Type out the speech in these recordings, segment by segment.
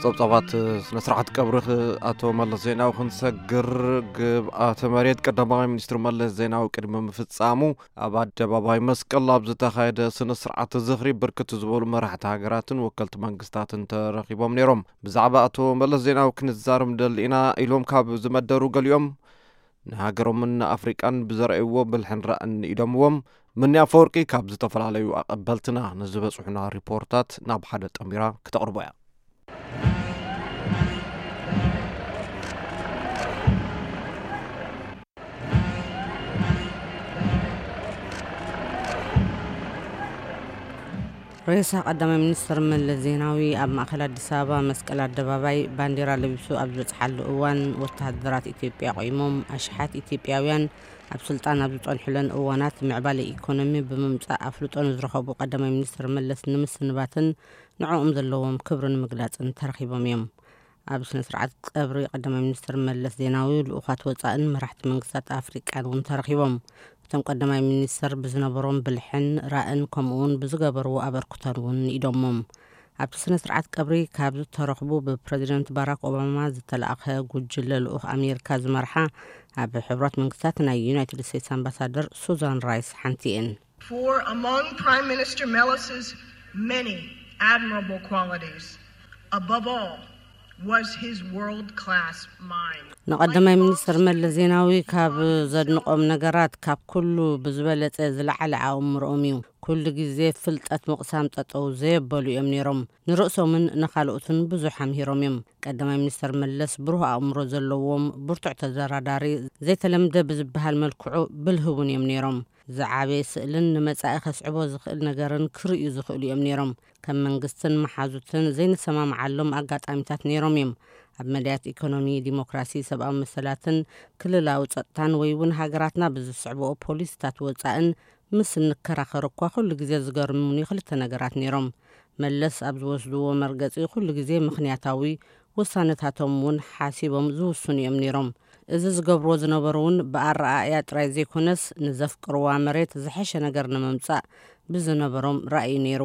ጸብጻባት ስነ ስርዓት ቀብሪ ኣቶ መለስ ዜናዊ ክንሰግር፣ ግብኣተ መሬት ቀዳማይ ሚኒስትር መለስ ዜናዊ ቅድሚ ምፍጻሙ ኣብ ኣደባባይ መስቀል ኣብ ዝተኻየደ ስነ ስርዓት ዝኽሪ ብርክት ዝበሉ መራሕቲ ሃገራትን ወከልቲ መንግስታትን ተረኺቦም ነይሮም። ብዛዕባ ኣቶ መለስ ዜናዊ ክንዛረብ ንደሊ ኢና ኢሎም ካብ ዝመደሩ ገሊኦም፣ ንሃገሮምን ንኣፍሪቃን ብዘርእይዎ ብልሕን ራእን ንኢዶምዎም፣ ምኒ ኣፈወርቂ ካብ ዝተፈላለዩ ኣቐበልትና ንዝበጽሑና ሪፖርታት ናብ ሓደ ጠሚራ ክተቕርቦ እያ። ሬሳ ቀዳማይ ሚኒስትር መለስ ዜናዊ ኣብ ማእከል ኣዲስ ኣበባ መስቀል ኣደባባይ ባንዲራ ለቢሱ ኣብ ዝበጽሓሉ እዋን፣ ወተሃደራት ኢትዮጵያ ቆይሞም፣ ኣሽሓት ኢትዮጵያውያን ኣብ ስልጣን ኣብ ዝጸንሑለን እዋናት ምዕባለ ኢኮኖሚ ብምምጻእ ኣፍልጦ ንዝረኸቡ ቀዳማይ ሚኒስትር መለስ ንምስንባትን ንዕኦም ዘለዎም ክብሪ ንምግላጽን ተረኺቦም እዮም። ኣብ ስነ ስርዓት ቀብሪ ቀዳማይ ሚኒስትር መለስ ዜናዊ ልኡኻት ወጻእን መራሕቲ መንግስታት ኣፍሪቃን እውን ተረኺቦም። እቶም ቀዳማይ ሚኒስትር ብዝነበሮም ብልሕን ራእን ከምኡ እውን ብዝገበርዎ ኣበርክቶን እውን ንኢዶሞም። ኣብቲ ስነ ስርዓት ቀብሪ ካብ ዝተረኽቡ ብፕረዚደንት ባራክ ኦባማ ዝተላእኸ ጉጅለ ልኡኽ ኣሜሪካ ዝመርሓ ኣብ ሕቡራት መንግስታት ናይ ዩናይትድ ስቴትስ ኣምባሳደር ሱዛን ራይስ ሓንቲ እየን። For among Prime Minister Melis's many admirable qualities, above all was his world-class mind. ንቐዳማይ ሚኒስትር መለስ ዜናዊ ካብ ዘድንቖም ነገራት ካብ ኩሉ ብዝበለጸ ዝለዓለ ኣእምሮኦም እዩ። ኩሉ ግዜ ፍልጠት ምቕሳም ጠጠው ዘየበሉ እዮም ነይሮም። ንርእሶምን ንኻልኦትን ብዙሕ ኣምሂሮም እዮም። ቀዳማይ ሚኒስትር መለስ ብሩህ ኣእምሮ ዘለዎም፣ ብርቱዕ ተደራዳሪ፣ ዘይተለምደ ብዝበሃል መልክዑ ብልህ እውን እዮም ነይሮም። ዝዓበየ ስእልን ንመጻኢ ከስዕቦ ዝኽእል ነገርን ክርእዩ ዝኽእሉ እዮም ነይሮም። ከም መንግስትን መሓዙትን ዘይንሰማምዓሎም ኣጋጣሚታት ነይሮም እዮም። ኣብ መዳያት ኢኮኖሚ፣ ዲሞክራሲ፣ ሰብኣዊ መሰላትን ክልላዊ ጸጥታን ወይ እውን ሃገራትና ብዝስዕብኦ ፖሊሲታት ወጻእን ምስ እንከራኸር እኳ ኩሉ ግዜ ዝገርሙኒ ክልተ ነገራት ነይሮም። መለስ ኣብ ዝወስድዎ መርገጺ ኩሉ ግዜ ምኽንያታዊ፣ ውሳነታቶም እውን ሓሲቦም ዝውስኑ እዮም ነይሮም። እዚ ዝገብርዎ ዝነበሩ እውን ብኣረኣእያ ጥራይ ዘይኮነስ ንዘፍቅርዋ መሬት ዝሐሸ ነገር ንምምጻእ ብዝነበሮም ራእይ ነይሩ።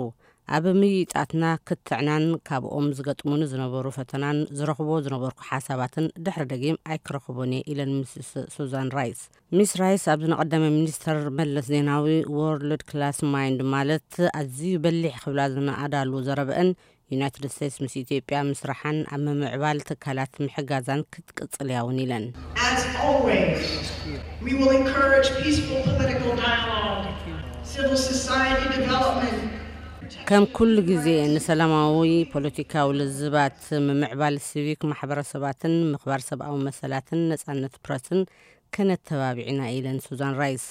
ኣብ ምይይጣትና ክትዕናን ካብኦም ዝገጥሙኒ ዝነበሩ ፈተናን ዝረኽቦ ዝነበርኩ ሓሳባትን ድሕሪ ደጊም ኣይክረኽቦን እየ ኢለን ሚስስ ሱዛን ራይስ። ሚስ ራይስ ኣብዚ ንቀዳማይ ሚኒስተር መለስ ዜናዊ ወርልድ ክላስ ማይንድ ማለት ኣዝዩ በሊሕ ክብላ ዝነኣዳሉ ዘረበአን ዩናይትድ ስቴትስ ምስ ኢትዮጵያ ምስራሓን ኣብ ምምዕባል ትካላት ምሕጋዛን ክትቅጽል እያ እውን ኢለን። As always, we will encourage peaceful political dialogue, civil society development. ከም ኩሉ ግዜ ንሰላማዊ ፖለቲካዊ ልዝባት፣ ምምዕባል ሲቪክ ማሕበረሰባትን ምኽባር ሰብኣዊ መሰላትን ነጻነት ፕረስን ከነተባብዕ ኢና ኢለን ሱዛን ራይስ።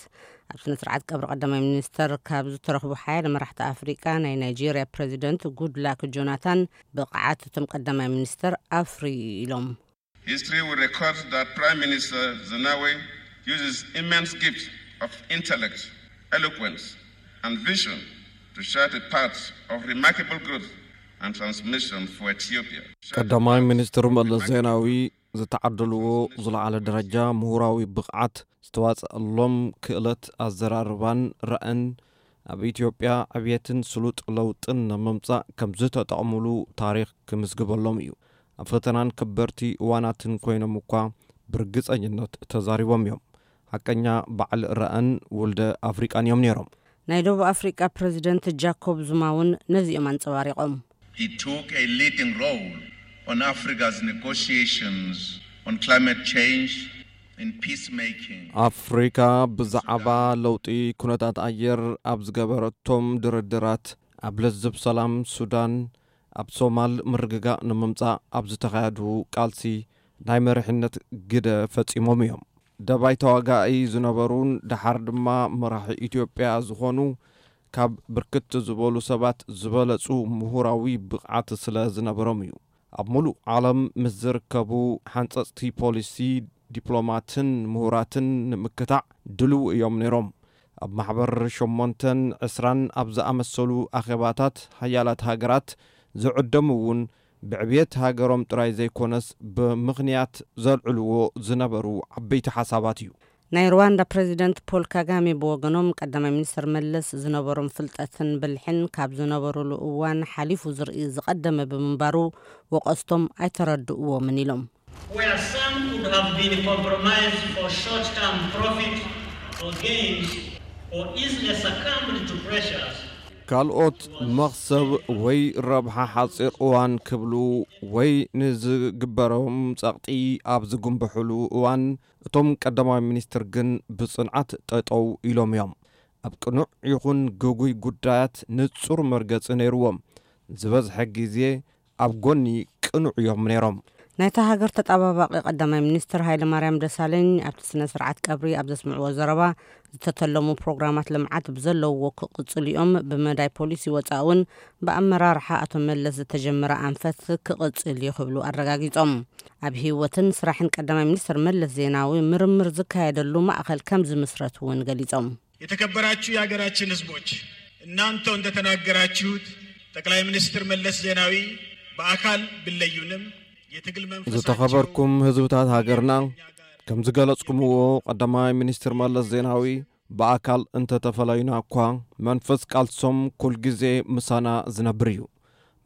ኣብ ስነ ስርዓት ቀብሪ ቀዳማይ ሚኒስተር ካብ ዝተረኽቡ ሓያለ መራሕቲ ኣፍሪቃ ናይ ናይጄርያ ፕረዚደንት ጉድላክ ጆናታን ብቕዓት እቶም ቀዳማይ ሚኒስተር ኣፍርዩ ኢሎም። History will record that Prime Minister Zenawi used his immense gift of intellect, eloquence, and vision to chart a path of remarkable growth and transformation for Ethiopia. ቀዳማይ ሚኒስትር መለስ ዜናዊ ዝተዓደልዎ ዝለዓለ ደረጃ ምሁራዊ ብቕዓት ዝተዋጸኣሎም ክእለት ኣዘራርባን ራእን ኣብ ኢትዮጵያ ዕብየትን ስሉጥ ለውጥን ንምምጻእ ከም ዝተጠቕሙሉ ታሪኽ ክምዝግበሎም እዩ። ኣብ ፈተናን ከበድቲ እዋናትን ኮይኖም እኳ ብርግጸኝነት ተዛሪቦም እዮም። ሓቀኛ በዓል ራእን ውልደ ኣፍሪቃን እዮም ነይሮም። ናይ ደቡብ ኣፍሪቃ ፕረዚደንት ጃኮብ ዙማ እውን ነዚኦም ኣንጸባሪቖም። He took a leading role on Africa's negotiations on climate change, in peacemaking. ኣፍሪካ ብዛዕባ ለውጢ ኩነታት ኣየር ኣብ ዝገበረቶም ድርድራት፣ ኣብ ለዝብ ሰላም ሱዳን፣ ኣብ ሶማል ምርግጋእ ንምምጻእ ኣብ ዝተኻየዱ ቃልሲ ናይ መሪሕነት ግደ ፈጺሞም እዮም። ደባይ ተዋጋኢ ዝነበሩን ደሓር ድማ መራሒ ኢትዮጵያ ዝኾኑ ካብ ብርክት ዝበሉ ሰባት ዝበለጹ ምሁራዊ ብቕዓት ስለ ዝነበሮም እዩ። ኣብ ሙሉእ ዓለም ምስ ዝርከቡ ሓንጸጽቲ ፖሊሲ፣ ዲፕሎማትን ምሁራትን ንምክታዕ ድልው እዮም ነይሮም። ኣብ ማሕበር ሸሞንተን ዕስራን ኣብ ዝኣመሰሉ ኣኼባታት ሓያላት ሃገራት ዝዕደሙ እውን ብዕብየት ሃገሮም ጥራይ ዘይኮነስ ብምኽንያት ዘልዕልዎ ዝነበሩ ዓበይቲ ሓሳባት እዩ። ናይ ሩዋንዳ ፕሬዚደንት ፖል ካጋሜ ብወገኖም፣ ቀዳማይ ሚኒስትር መለስ ዝነበሮም ፍልጠትን ብልሕን ካብ ዝነበሩሉ እዋን ሓሊፉ ዝርኢ ዝቐደመ ብምንባሩ፣ ወቐስቶም ኣይተረድእዎምን ኢሎም። Where some could have been compromised for short-term profit or gains, or easily succumbed to pressures. ካልኦት መኽሰብ ወይ ረብሓ ሓፂር እዋን ክብሉ ወይ ንዝግበሮም ጸቕጢ ኣብ ዝጉንብሕሉ እዋን፣ እቶም ቀዳማይ ሚኒስትር ግን ብጽንዓት ጠጠው ኢሎም እዮም። ኣብ ቅኑዕ ይኹን ግጉይ ጉዳያት ንጹር መርገጺ ነይርዎም። ዝበዝሐ ግዜ ኣብ ጎኒ ቅኑዕ እዮም ነይሮም። ናይታ ሃገር ተጣባባቂ ቀዳማይ ሚኒስትር ሃይለ ማርያም ደሳለኝ ኣብቲ ስነ ስርዓት ቀብሪ ኣብ ዘስምዕዎ ዘረባ፣ ዝተተለሙ ፕሮግራማት ልምዓት ብዘለውዎ ክቕጽሉ እዮም፣ ብመዳይ ፖሊሲ ወጻኢ እውን ብኣመራርሓ ኣቶ መለስ ዝተጀመረ ኣንፈት ክቕጽል እዩ ክብሉ ኣረጋጊጾም። ኣብ ህይወትን ስራሕን ቀዳማይ ሚኒስትር መለስ ዜናዊ ምርምር ዝካየደሉ ማእኸል ከም ዝምስረት እውን ገሊጾም። የተከበራችሁ የሀገራችን ህዝቦች፣ እናንተው እንደተናገራችሁት ጠቅላይ ሚኒስትር መለስ ዜናዊ በአካል ቢለዩንም የትግል መንፈሳቸው ዝተኸበርኩም ህዝብታት ሃገርና፣ ከም ዝገለጽኩምዎ፣ ቀዳማይ ሚኒስትር መለስ ዜናዊ ብኣካል እንተተፈለዩና እኳ፣ መንፈስ ቃልሶም ኩልግዜ ምሳና ዝነብር እዩ።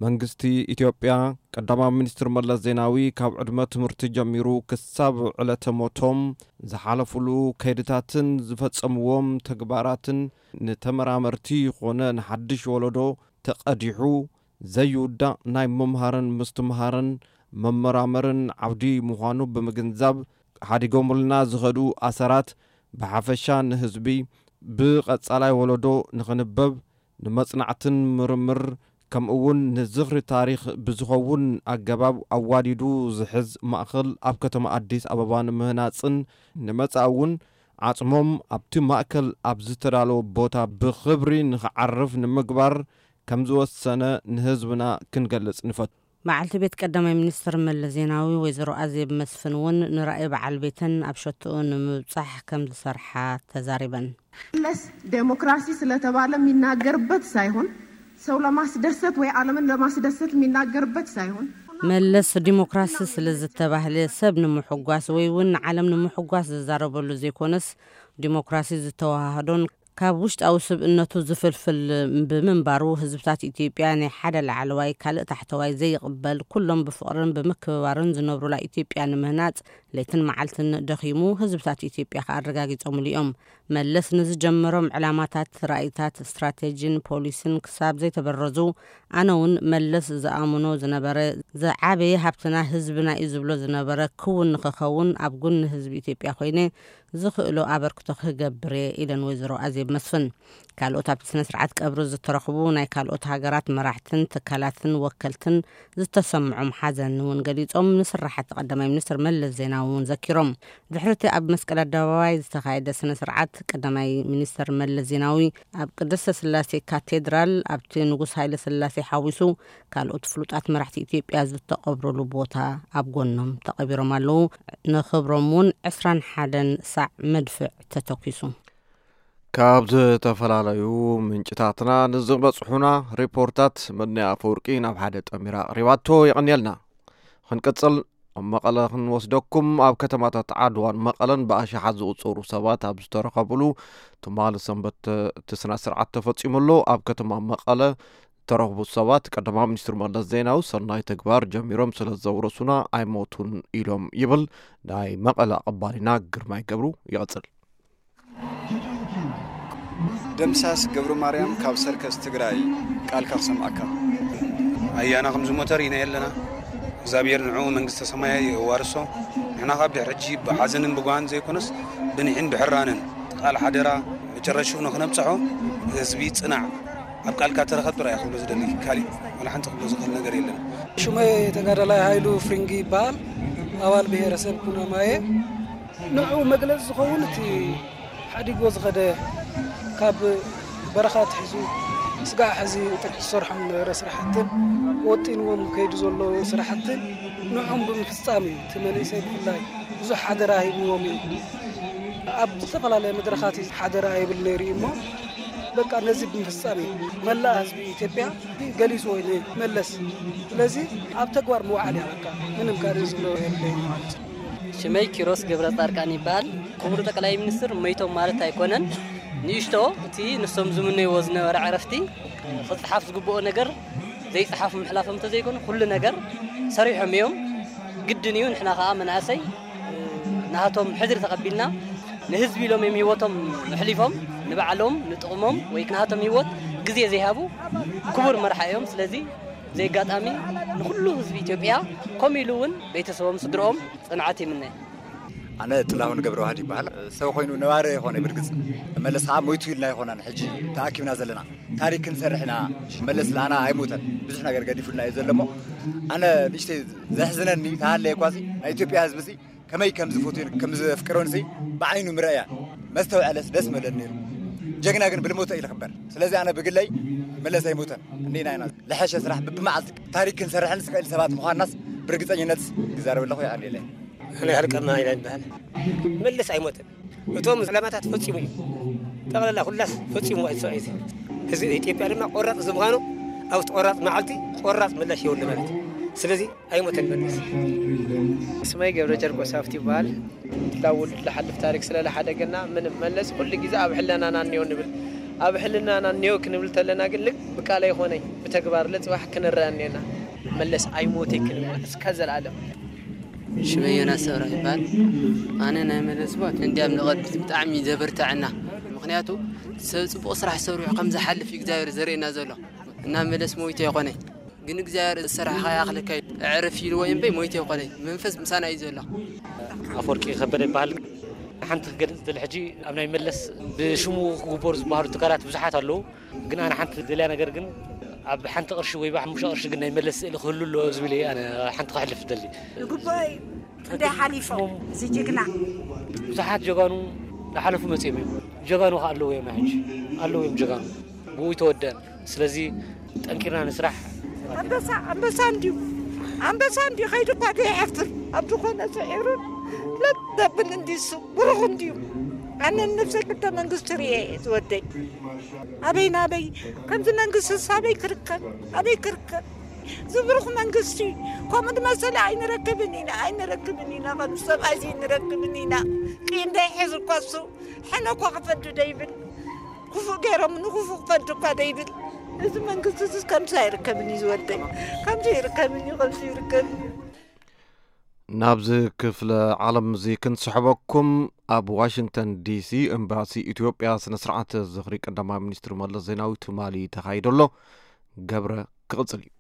መንግስቲ ኢትዮጵያ፣ ቀዳማዊ ሚኒስትር መለስ ዜናዊ ካብ ዕድመ ትምህርቲ ጀሚሩ ክሳብ ዕለተ ሞቶም ዝሓለፉሉ ከይድታትን ዝፈጸምዎም ተግባራትን፣ ንተመራመርቲ ይኾነ ንሓድሽ ወለዶ ተቐዲሑ ዘይውዳእ ናይ ምምሃርን ምስትምሃርን፣ መመራመርን ዓውዲ ምዃኑ ብምግንዛብ፣ ሓዲጎምልና ዝኸዱ ኣሰራት ብሓፈሻ ንህዝቢ፣ ብቐጻላይ ወለዶ ንኽንበብ፣ ንመጽናዕትን ምርምር፣ ከምኡውን ንዝኽሪ ታሪኽ ብዝኸውን ኣገባብ ኣዋዲዱ ዝሕዝ ማእኸል ኣብ ከተማ ኣዲስ ኣበባ ንምህናጽን፣ ንመጻኢ እውን ዓጽሞም ኣብቲ ማእከል ኣብ ዝተዳለወ ቦታ ብኽብሪ ንኽዓርፍ ንምግባር ከም ዝወሰነ ንህዝብና ክንገልጽ ንፈቱ። በዓልቲ ቤት ቀዳማይ ሚኒስትር መለስ ዜናዊ ወይዘሮ ኣዜብ መስፍን እውን ንራእይ በዓል ቤተን ኣብ ሸትኡ ንምብጻሕ ከም ዝሰርሓ ተዛሪበን። መለስ ዴሞክራሲ ስለተባለ የሚናገርበት ሳይሆን፣ ሰው ለማስደሰት ወይ ዓለምን ለማስደሰት የሚናገርበት ሳይሆን፣ መለስ ዲሞክራሲ ስለ ዝተባህለ ሰብ ንምሕጓስ ወይ እውን ንዓለም ንምሕጓስ ዝዛረበሉ ዘይኮነስ፣ ዲሞክራሲ ዝተዋሃሃዶን ካብ ውሽጣዊ ስብእነቱ ዝፍልፍል ብምንባሩ፣ ህዝብታት ኢትዮጵያ ናይ ሓደ ላዕለዋይ ካልእ ታሕተዋይ ዘይቕበል፣ ኩሎም ብፍቕርን ብምክብባርን ዝነብሩላ ኢትዮጵያ ንምህናጽ ለይትን መዓልትን ደኺሙ ህዝብታት ኢትዮጵያ ከኣ ኣረጋጊጾምሉ እዮም። መለስ ንዝጀመሮም ዕላማታት፣ ራእይታት፣ ስትራቴጂን ፖሊሲን ክሳብ ዘይተበረዙ፣ ኣነ እውን መለስ ዝኣምኖ ዝነበረ፣ ዝዓበየ ሃብትና ህዝብና እዩ ዝብሎ ዝነበረ ክውን ንኽኸውን ኣብ ጎኒ ህዝቢ ኢትዮጵያ ኮይነ ዝኽእሎ ኣበርክቶ ክገብር እየ ኢለን ወይዘሮ ኣዜብ መስፍን። ካልኦት ኣብቲ ስነ ስርዓት ቀብሪ ዝተረኽቡ ናይ ካልኦት ሃገራት መራሕትን ትካላትን ወከልትን ዝተሰምዖም ሓዘን እውን ገሊጾም፣ ንስራሓት ቀዳማይ ሚኒስትር መለስ ዜናዊ እውን ዘኪሮም። ድሕሪ እቲ ኣብ መስቀል ኣደባባይ ዝተኻየደ ስነ ስርዓት፣ ቀዳማይ ሚኒስትር መለስ ዜናዊ ኣብ ቅድስተ ስላሴ ካቴድራል ኣብቲ ንጉስ ሃይለ ስላሴ ሓዊሱ ካልኦት ፍሉጣት መራሕቲ ኢትዮጵያ ዝተቐብሩሉ ቦታ ኣብ ጎኖም ተቐቢሮም ኣለዉ። ንኽብሮም እውን ዕስራን ሓደን ሳዕ መድፍዕ ተተኲሱ። ካብ ዝተፈላለዩ ምንጭታትና ንዝበጽሑና ሪፖርታት መድንያ ኣፈወርቂ ናብ ሓደ ጠሚራ ኣቕሪባቶ። የቐንየልና። ክንቅጽል ኣብ መቐለ ክንወስደኩም። ኣብ ከተማታት ዓድዋን መቐለን ብኣሽሓት ዝቑጸሩ ሰባት ኣብ ዝተረኸብሉ ትማሊ ሰንበት እቲ ስነ ስርዓት ተፈጺሙ ኣሎ። ኣብ ከተማ መቐለ ዝተረኽቡ ሰባት ቀዳማዊ ሚኒስትር መለስ ዜናዊ ሰናይ ተግባር ጀሚሮም ስለ ዘውረሱና ኣይሞቱን ኢሎም ይብል ናይ መቐለ ኣቐባሊና ግርማይ ገብሩ። ይቐጽል። ደምሳስ ገብረ ማርያም ካብ ሰርከስ ትግራይ ቃልካ ክሰምዓካ። ኣያና ከም ዝሞተ ርኢና የለና። እግዚኣብሔር ንዕኡ መንግስተ ሰማይ የዋርሶ። ንሕና ካብ ድሕሪ ሕጂ ብሓዘንን ብጓህን ዘይኮነስ ብንሒን ብሕራንን ቃል ሓደራ መጨረሽኡ ንኽነብጽሖ ህዝቢ ጽናዕ፣ ኣብ ቃልካ ተረኸብ ጥራይ ክብሎ ዝደሊ፣ ካሊእ ዋላ ሓንቲ ክብሎ ዝኽእል ነገር የለን። ሽመይ ተጋዳላይ ሃይሉ ፍሪንጊ ይበሃል። ኣባል ብሄረሰብ ኩናማየ። ንዕኡ መግለጺ ዝኸውን እቲ ሓዲጎ ዝኸደ ካብ በረኻ ኣትሒዙ ስጋዕ ሕዚ ጥርቂ ዝሰርሖም ዝነበረ ስራሕትን ወጢንዎም ከይዱ ዘሎ ስራሕትን ንዕኦም ብምፍጻም እዩ። እቲ መንእሰይ ብፍላይ ብዙሕ ሓደራ ሂብዎም እዩ። ኣብ ዝተፈላለየ መድረኻት ሓደራ ይብል ነይሩ እዩ እሞ በቃ ነዚ ብምፍጻም እዩ። መላእ ህዝቢ ኢትዮጵያ ገሊጽዎ እዩ ንመለስ። ስለዚ ኣብ ተግባር ምውዓል እያ በቃ። ምንም ካልእ ዝብሎ የለይን ማለት እዩ። ሽመይ ኪሮስ ገብረ ጻድቃን ይበሃል። ክቡር ጠቅላይ ሚኒስትር መይቶም ማለት ኣይኮነን። ንእሽቶ እቲ ንሶም ዝምነይዎ ዝነበረ ዕረፍቲ ክጽሓፍ ዝግብኦ ነገር ዘይጸሓፉ ምሕላፎም እንተዘይኮነ፣ ኩሉ ነገር ሰሪሖም እዮም። ግድን እዩ። ንሕና ከኣ መናእሰይ ናሃቶም ሕድሪ ተቐቢልና፣ ንህዝቢ ኢሎም እዮም ህይወቶም ኣሕሊፎም፣ ንባዕሎም ንጥቕሞም ወይ ናሃቶም ህይወት ግዜ ዘይሃቡ ክቡር መርሓ እዮም። ስለዚ ብዘይ ኣጋጣሚ ንኹሉ ህዝቢ ኢትዮጵያ፣ ከምኡ ኢሉ እውን ቤተሰቦም፣ ስድርኦም ጽንዓት ይምነ። ኣነ ጥላሁን ገብረዋህድ ይበሃል። ሰብ ኮይኑ ነባሪ ኣይኮነ፣ ብርግጽ መለስ ከዓ ሞይቱ ኢልና ኣይኮናን ሕጂ ተኣኪብና ዘለና። ታሪክ ክንሰርሕ ኢና። መለስ ለኣና ኣይሞተን፣ ብዙሕ ነገር ገዲፉልና እዩ ዘሎ። እሞ ኣነ ንእሽተይ ዘሕዝነኒ ተሃለየ እኳ፣ እዚ ናይ ኢትዮጵያ ህዝቢ እዚ ከመይ ከም ዝፈትዮን ከም ዘፍቅሮን እዚ ብዓይኑ ምረእያ መስተውዐለስ ደስ መለኒ ነይሩ። ጀግና ግን ብልሞተ እዩ ዝኽበር። ስለዚ ኣነ ብግለይ መለስ ኣይሞተን፣ እንዲና ኢና። ለሐሸ ስራሕ ብብመዓልቲ ታሪክ ክንሰርሕን ስክእል ሰባት ምዃንናስ ብርግጸኝነት ይዛረብ ኣለኹ። ይቐንየለይ። ኣነ ያህል ቀና ኢላ ይበሃል። መለስ ኣይሞተን። እቶም ዕላማታት ፈጺሙ እዩ። ጠቕላላ ኩላስ ፈጺሙ ኣይሰ-፣ እዚ ህዝቢ ኢትዮጵያ ድማ ቆራጽ እዚ ምዃኑ ኣብቲ ቆራጽ መዓልቲ ቆራጽ ምላሽ የብሉ ማለት እዩ። ስለዚ ኣይሞተን መለስ። ስመይ ገብረ ጨርቆስ ሃፍቲ ይበሃል። ላውል ለሓልፍ ታሪክ ስለ ለሓደገና ምንም መለስ ኩሉ ግዜ ኣብ ሕለናና እኒኦ ንብል። ኣብ ሕልናና እኒኦ ክንብል ተለና ግን ልክ ብቃል ኣይኮነይ ብተግባር ለጽባሕ ክንረአ እኒኦና። መለስ ኣይሞተይ ክንብል እስከ ዘላለም። ሽመይ ዮናስ ሰብራ ይበሃል። ኣነ ናይ መለስ ሞት እንዲያም ንቐድሚት ብጣዕሚ ዘበርትዐና። ምኽንያቱ ሰብ ጽቡቕ ስራሕ ሰሪሑ ከም ዝሓልፍ እዩ እግዚኣብሔር ዘርእየና ዘሎ። እና መለስ ሞይቱ ኣይኮነይ። ግን እግዚኣብሔር ዝሰራሕኻ ይኣኽለካ እዩ። ኣዕርፍ ኢልዎ እምበይ ሞይቱ ኣይኮነይ። መንፈስ ምሳና እዩ ዘሎ። ኣፈወርቂ ከበደ ይበሃል። ሓንቲ ክገልጽ ዝደሊ ሕጂ ኣብ ናይ መለስ ብሽሙ ክግበሩ ዝበሃሉ ትካላት ብዙሓት ኣለዉ። ግን ኣነ ሓንቲ ደልያ ነገር ግን ኣብ ሓንቲ ቅርሺ ወይ ብሓሙሽተ ቅርሺ ግን ናይ መለስ ስእሊ ክህሉ ኣለዎ ዝብል እየ ኣነ ሓንቲ ከሕልፍ ዝደሊ። ግቡእ እዩ። ክንደይ ሓሊፎም እዚ ጅግና። ብዙሓት ጀጋኑ ዝሓለፉ መጺኦም እዮም። ጀጋኑ ከ ኣለዉ እዮም ሕጂ? ኣለዉ እዮም ጀጋኑ። ብኡ ይተወደን። ስለዚ ጠንኪርና ንስራሕ። ኣንበሳ፣ ኣንበሳ እንድዩ። ኣንበሳ እንድዩ። ከይዱ እኳ ዘይሓፍር። ኣብ ዝኾነ ስዒሩን ለጥ ዘብል እንድዩ እሱ። ብሩኽ እንድዩ። ኣነ ንነብሰይ ክልተ መንግስቲ ርእየ እየ ዝወደይ። ኣበይ ናበይ? ከምዚ መንግስቲ ኣበይ ክርከብ? ኣበይ ክርከብ? ዝብሩኽ መንግስቲ ከምኡ ዝመሰለ ኣይንረክብን ኢና፣ ኣይንረክብን ኢና። ከም ሰብኣይ ዘይንረክብን ኢና። ቂም እንዳይሕዝ እኳ እሱ ሕነ እኳ ክፈዱ ደይብል። ክፉእ ገይሮም ንክፉእ ክፈዱ እኳ ደይብል። እዚ መንግስቲ እዚ ከምዚ ኣይርከብን እዩ ዝወደይ። ከምዚ ይርከብን እዩ፣ ከምዚ ይርከብን እዩ። ናብዚ ክፍለ ዓለም እዚ ክንስሕበኩም፣ ኣብ ዋሽንግተን ዲሲ ኤምባሲ ኢትዮጵያ ስነ ስርዓት ዝኽሪ ቀዳማይ ሚኒስትር መለስ ዜናዊ ትማሊ ተኻይዶ ኣሎ። ገብረ ክቕጽል እዩ።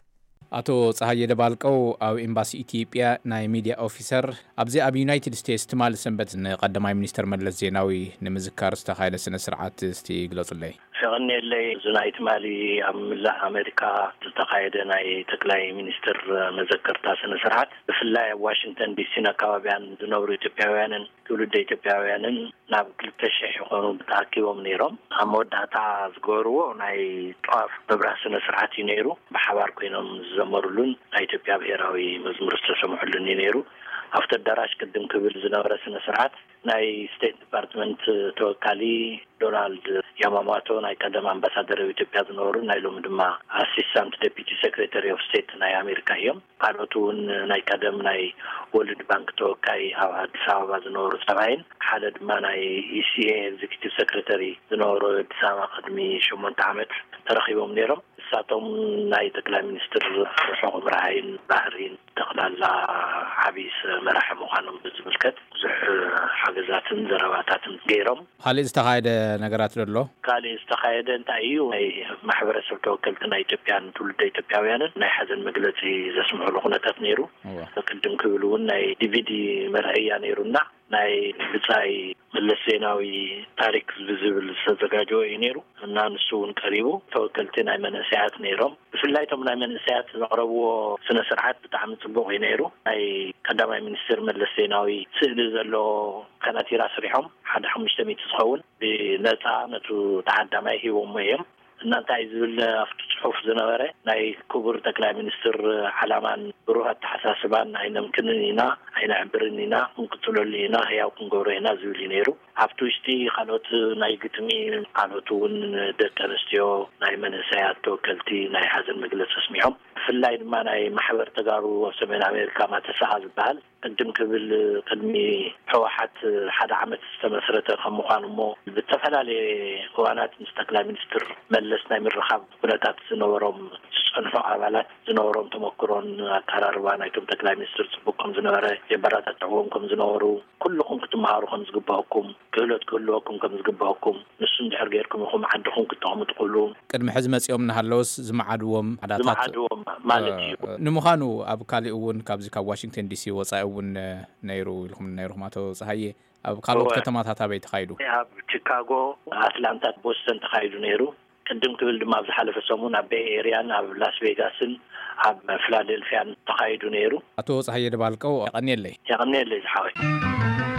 ኣቶ ጸሃየ ደባልቀው ኣብ ኤምባሲ ኢትዮጵያ ናይ ሚድያ ኦፊሰር፣ ኣብዚ ኣብ ዩናይትድ ስቴትስ ትማሊ ሰንበት ንቀዳማይ ሚኒስተር መለስ ዜናዊ ንምዝካር ዝተኻየደ ስነ ስርዓት እስቲ ግለጹለይ። የቐንየለይ። እዚ ናይ ትማሊ ኣብ መላእ ኣሜሪካ ዝተኻየደ ናይ ጠቅላይ ሚኒስትር መዘከርታ ስነ ስርዓት ብፍላይ ኣብ ዋሽንግተን ዲሲን ኣካባቢያን ዝነብሩ ኢትዮጵያውያንን ትውልደ ኢትዮጵያውያንን ናብ ክልተ ሽሕ ይኾኑ ተኣኪቦም ነይሮም። ኣብ መወዳእታ ዝገበርዎ ናይ ጧፍ ምብራህ ስነ ስርዓት እዩ ነይሩ። ብሓባር ኮይኖም ዝዘመሩሉን ናይ ኢትዮጵያ ብሄራዊ መዝሙር ዝተሰምዐሉን እዩ ነይሩ። ኣብቲ ኣዳራሽ ቅድም ክብል ዝነበረ ስነ ስርዓት ናይ ስቴት ዲፓርትመንት ተወካሊ ዶናልድ ያማማቶ ናይ ቀደም ኣምባሳደር ኣብ ኢትዮጵያ ዝነበሩ ናይ ሎሚ ድማ ኣሲስታንት ዴፒቲ ሴክሬታሪ ኦፍ ስቴት ናይ ኣሜሪካ እዮም። ካልኦት እውን ናይ ቀደም ናይ ወርልድ ባንክ ተወካይ ኣብ ኣዲስ ኣበባ ዝነበሩ ሰብኣይን ሓደ ድማ ናይ ኢሲኤ ኤግዚኪቲቭ ሴክሬታሪ ዝነበሩ ኣዲስ ኣበባ ቅድሚ ሸሞንተ ዓመት ተረኺቦም ነይሮም። እሳቶም ናይ ጠቅላይ ሚኒስትር ርሑቕ ምርኣይን ባህሪን ጠቕላላ ዓብዪ መራሒ ምዃኖም ብዝምልከት ብዙሕ ሓገዛትን ዘረባታትን ገይሮም። ካልእ ዝተኻየደ ነገራት ዶ ኣሎ? ካልእ ዝተኻየደ እንታይ እዩ? ናይ ማሕበረሰብ ተወከልቲ ናይ ኢትዮጵያን ትውልደ ኢትዮጵያውያንን ናይ ሓዘን መግለፂ ዘስምዕሉ ኩነታት ነይሩ። እወ። ቅድም ክብል እውን ናይ ዲቪዲ መርኣያ ነይሩና። ናይ ብጻይ መለስ ዜናዊ ታሪክ ብዝብል ዝተዘጋጀወ እዩ ነይሩ እና ንሱ እውን ቀሪቡ። ተወከልቲ ናይ መንእሰያት ነይሮም። ብፍላይ እቶም ናይ መንእሰያት ዘቕረብዎ ስነ ስርዓት ብጣዕሚ ጽቡቕ እዩ ነይሩ። ናይ ቀዳማይ ሚኒስትር መለስ ዜናዊ ስእሊ ዘለዎ ከናቲራ ስሪሖም ሓደ ሓሙሽተ ሚእቲ ዝኸውን ብነጻ ነቱ ተዓዳማይ ሂቦሞ እዮም። እና እንታይ ዝብል ኣብቲ ጽሑፍ ዝነበረ፣ ናይ ክቡር ጠቅላይ ሚኒስትር ዓላማን ብሩህ ኣተሓሳስባን ኣይነምክንን ኢና፣ ኣይነዕብርን ኢና፣ ክንቅጽለሉ ኢና፣ ህያው ክንገብሮ ኢና ዝብል እዩ ነይሩ። ኣብቲ ውሽጢ ካልኦት ናይ ግጥሚ፣ ካልኦት እውን ደቂ ኣንስትዮ፣ ናይ መንእሰያት ተወከልቲ ናይ ሓዘን መግለጺ ኣስሚዖም። ብፍላይ ድማ ናይ ማሕበር ተጋሩ ኣብ ሰሜን ኣሜሪካ ማተሰኣ ዝበሃል፣ ቅድም ክብል ቅድሚ ህወሓት ሓደ ዓመት ዝተመስረተ ከም ምዃኑ እሞ፣ ብዝተፈላለየ እዋናት ምስ ጠቅላይ ሚኒስትር መለስ ናይ ምርኻብ ኩነታት ዝነበሮም፣ ዝጸንሑ ኣባላት ዝነበሮም ተመክሮን ኣቀራርባ ናይቶም ጠቅላይ ሚኒስትር ጽቡቅ ከም ዝነበረ፣ የበረታትዕዎም ከም ዝነበሩ፣ ኩልኹም ክትመሃሩ ከም ዝግባእኩም፣ ክህሎት ክህልወኩም ከም ዝግባእኩም፣ ንሱ እንድሕር ጌርኩም ኢኹም ዓድኹም ክተቕምጡ ክብሉ። ቅድሚ ሕዚ መጺኦም እናሃለውስ ዝመዓድዎም ሓዳታት ዝመዓድዎም ማለት እዩ። እ፣ ንምዃኑ ኣብ ካሊእ እውን ካብዚ ካብ ዋሽንግተን ዲሲ ወጻኢ እውን፣ እ፣ ነይሩ ኢልኩም ነይርኩም ኣቶ ጸሃየ፣ ኣብ ካልኦት እወ። ከተማታት ኣበይ ተኻይዱ? ኣብ ቺካጎ፣ ኣትላንታ፣ ቦስተን ተኻይዱ ነይሩ። ቅድም ክብል ድማ ኣብ ዝሓለፈ ሰሙን ኣብ ቤይ ኤርያን ኣብ ላስ ቬጋስን ኣብ ፊላደልፊያን ተኻይዱ ነይሩ። ኣቶ ጸሃየ ደባልቀው፣ የቐንየለይ። የቐንየለይ ዝሓወይ።